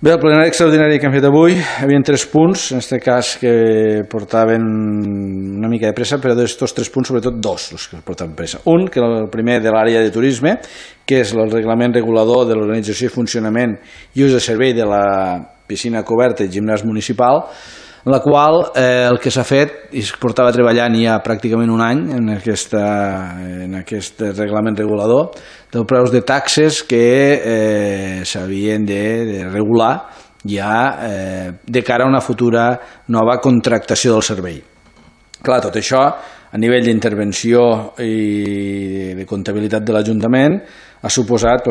Bé, el plenari extraordinari que hem fet avui hi havia 3 punts, en aquest cas que portaven una mica de pressa, però d'aquests 3 punts, sobretot 2 els que portaven pressa. Un, que era el primer de l'àrea de turisme, que és el reglament regulador de l'organització i funcionament i ús de servei de la piscina coberta i gimnàs municipal, en la qual el que s'ha fet i es portava treballant ja pràcticament un any en aquest reglament regulador dels preus de taxes que s'havien de regular ja de cara a una futura nova contractació del servei. Clar, tot això a nivell d'intervenció i de comptabilitat de l'Ajuntament ha suposat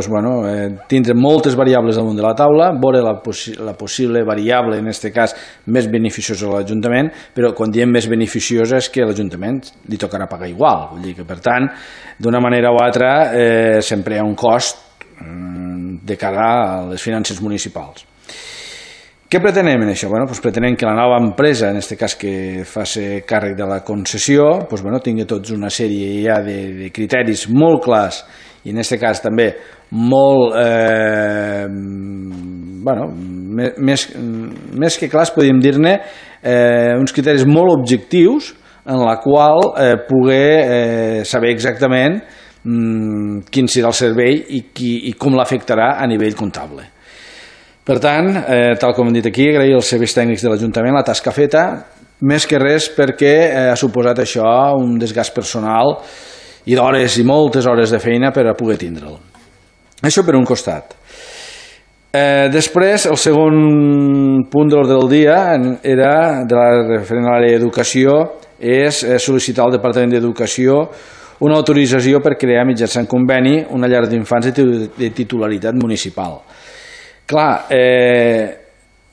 tindre moltes variables damunt de la taula, veure la possible variable, en aquest cas, més beneficiosa a l'Ajuntament, però quan diem més beneficiosa és que a l'Ajuntament li tocarà pagar igual. Vull dir que, per tant, d'una manera o altra, sempre hi ha un cost de cara a les finances municipals. Què pretenem en això? Pretenem que la nova empresa, en aquest cas que faci càrrec de la concessió, tingui tots una sèrie ja de criteris molt clars i en aquest cas també molt més que clars, podríem dir-ne uns criteris molt objectius en la qual poder saber exactament quin serà el servei i com l'afectarà a nivell comptable. Per tant, tal com hem dit aquí, agrair als serveis tècnics de l'Ajuntament la tasca feta, més que res perquè ha suposat això un desgast personal i d'hores i moltes hores de feina per a poder tindre'l. Això per un costat. Després, el segon punt de l'ordre del dia era, referent a l'àrea d'educació, és sol·licitar al Departament d'Educació una autorització per crear mitjançant conveni una llar d'infants de titularitat municipal. Clar,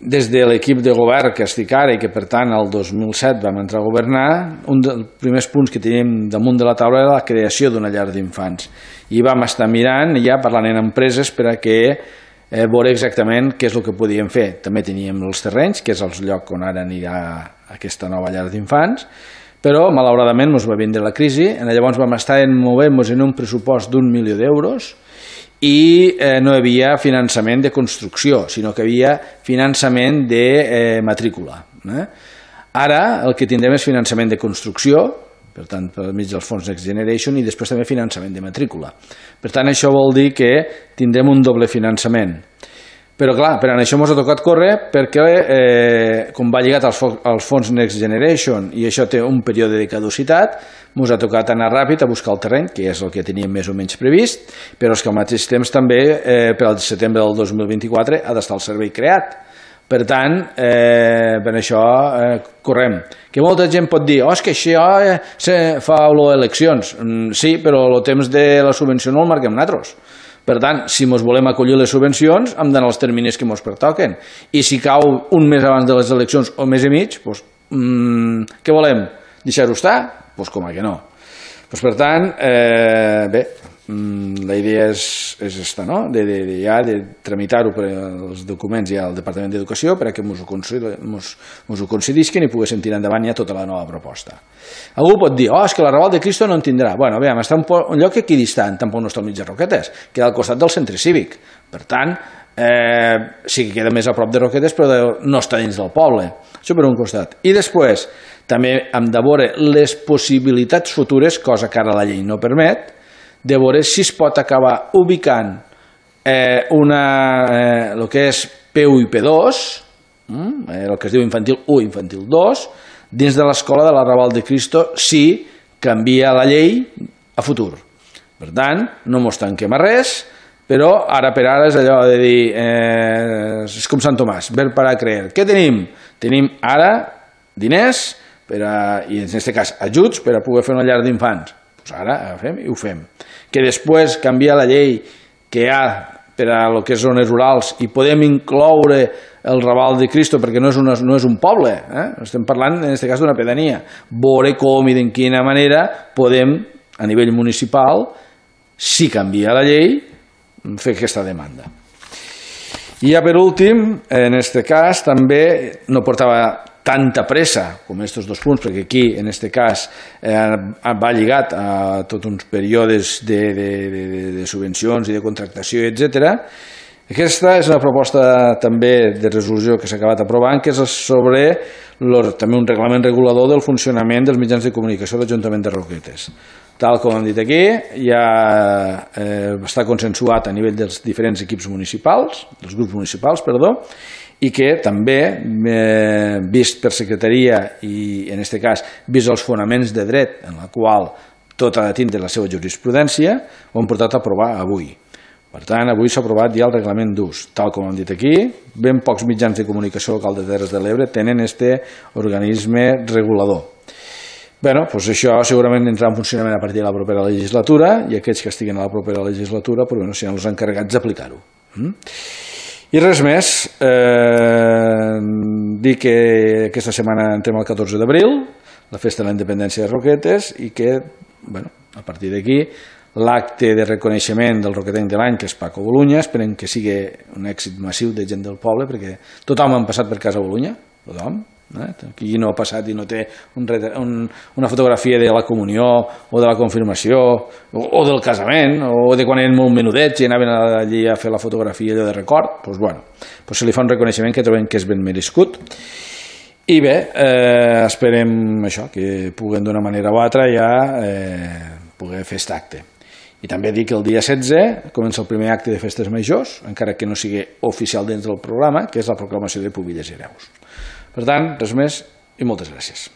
des de l'equip de govern que estic ara i que per tant el 2007 vam entrar a governar, un dels primers punts que teníem damunt de la taula era la creació d'una llar d'infants i vam estar mirant i ja parlant amb empreses per a que veure exactament què és el que podíem fer. També teníem els terrenys, que és el lloc on ara anirà aquesta nova llar d'infants, però malauradament ens va vindre la crisi, llavors vam estar movent-nos en un pressupost d'1 milió d'euros i no hi havia finançament de construcció, sinó que hi havia finançament de matrícula. Ara el que tindrem és finançament de construcció, per tant, per mig dels fons Next Generation, i després també finançament de matrícula. Per tant, això vol dir que tindrem un doble finançament. Però, clar, per això ens ha tocat córrer perquè, com va lligat als fons Next Generation i això té un període de caducitat, ens ha tocat anar ràpid a buscar el terreny, que és el que teníem més o menys previst, però és que al mateix temps també, per al setembre del 2024, ha d'estar el servei creat. Per tant, per això correm. Que molta gent pot dir, és que això fa olor a eleccions. Sí, però el temps de la subvenció no el marquem nosaltres. Per tant, si ens volem acollir les subvencions, hem d'anar als terminis que ens pertoquen. I si cau un mes abans de les eleccions o un mes i mig, què volem? Deixar-ho estar? Doncs com que no. Per tant, bé, la idea és aquesta, no? De tramitar-ho per els documents ja al Departament d'Educació perquè ens ho concedirien i poguéssim tirar endavant ja tota la nova proposta. Algú pot dir, és que la Raval de Cristo no en tindrà. Bé, està en un lloc equidistant, tampoc no està al mig de Roquetes, queda al costat del centre cívic. Per tant, sí que queda més a prop de Roquetes, però no està dins del poble. Això per un costat. I després, també hem de veure les possibilitats futures, cosa que ara la llei no permet, de veure si es pot acabar ubicant el que és P1 i P2, el que es diu infantil 1 i infantil 2, dins de l'escola de la Raval de Cristo si canvia la llei a futur. Per tant, no ens tanquem a res, però ara per ara és allò de dir, és com Sant Tomàs, ver para creer. Què tenim? Tenim ara diners, i en aquest cas ajuts per a poder fer una llar d'infants. Doncs ara agafem i ho fem. Que després canviar la llei que hi ha per a lo que és zones rurals i podem incloure el Raval de Cristo perquè no és un poble, estem parlant en aquest cas d'una pedania. Veure com i de quina manera podem, a nivell municipal, si canvia la llei, fer aquesta demanda. I ja per últim, en aquest cas també no portava tanta pressa com aquests 2 punts, perquè aquí, en aquest cas, va lligat a tots uns períodes de subvencions i de contractació, etc. Aquesta és una proposta també de resolució que s'ha acabat aprovant, que és sobre també un reglament regulador del funcionament dels mitjans de comunicació de l'Ajuntament de Roquetes. Tal com hem dit aquí, ja està consensuat a nivell dels diferents equips municipals, dels grups municipals, i que també, vist per secretaria i en aquest cas vist els fonaments de dret en la qual tot ha de tindre la seva jurisprudència, ho hem portat a aprovar avui. Per tant, avui s'ha aprovat ja el reglament d'ús. Tal com hem dit aquí, ben pocs mitjans de comunicació local de Terres de l'Ebre tenen aquest organisme regulador. Bé, doncs això segurament entrarà en funcionament a partir de la propera legislatura i aquells que estiguin a la propera legislatura seran els encarregats d'aplicar-ho. I res més, dir que aquesta setmana entrem el 14 d'abril, la festa de la independència de Roquetes, i que a partir d'aquí l'acte de reconeixement del roquetenc de l'any, que és Paco Bolunya, esperem que sigui un èxit massiu de gent del poble, perquè tothom ha passat per casa Bolunya, tothom. Qui no ha passat i no té una fotografia de la comunió o de la confirmació o del casament o de quan eren molt menudets i anaven allí a fer la fotografia de record, doncs se li fa un reconeixement que trobem que és ben merescut. I bé, esperem això, que puguem d'una manera o altra ja poder fer aquest acte. I també dir que el dia 16 comença el primer acte de festes majors, encara que no sigui oficial dins del programa, que és la proclamació de Pubilles i Hereus. Per tant, res més i moltes gràcies.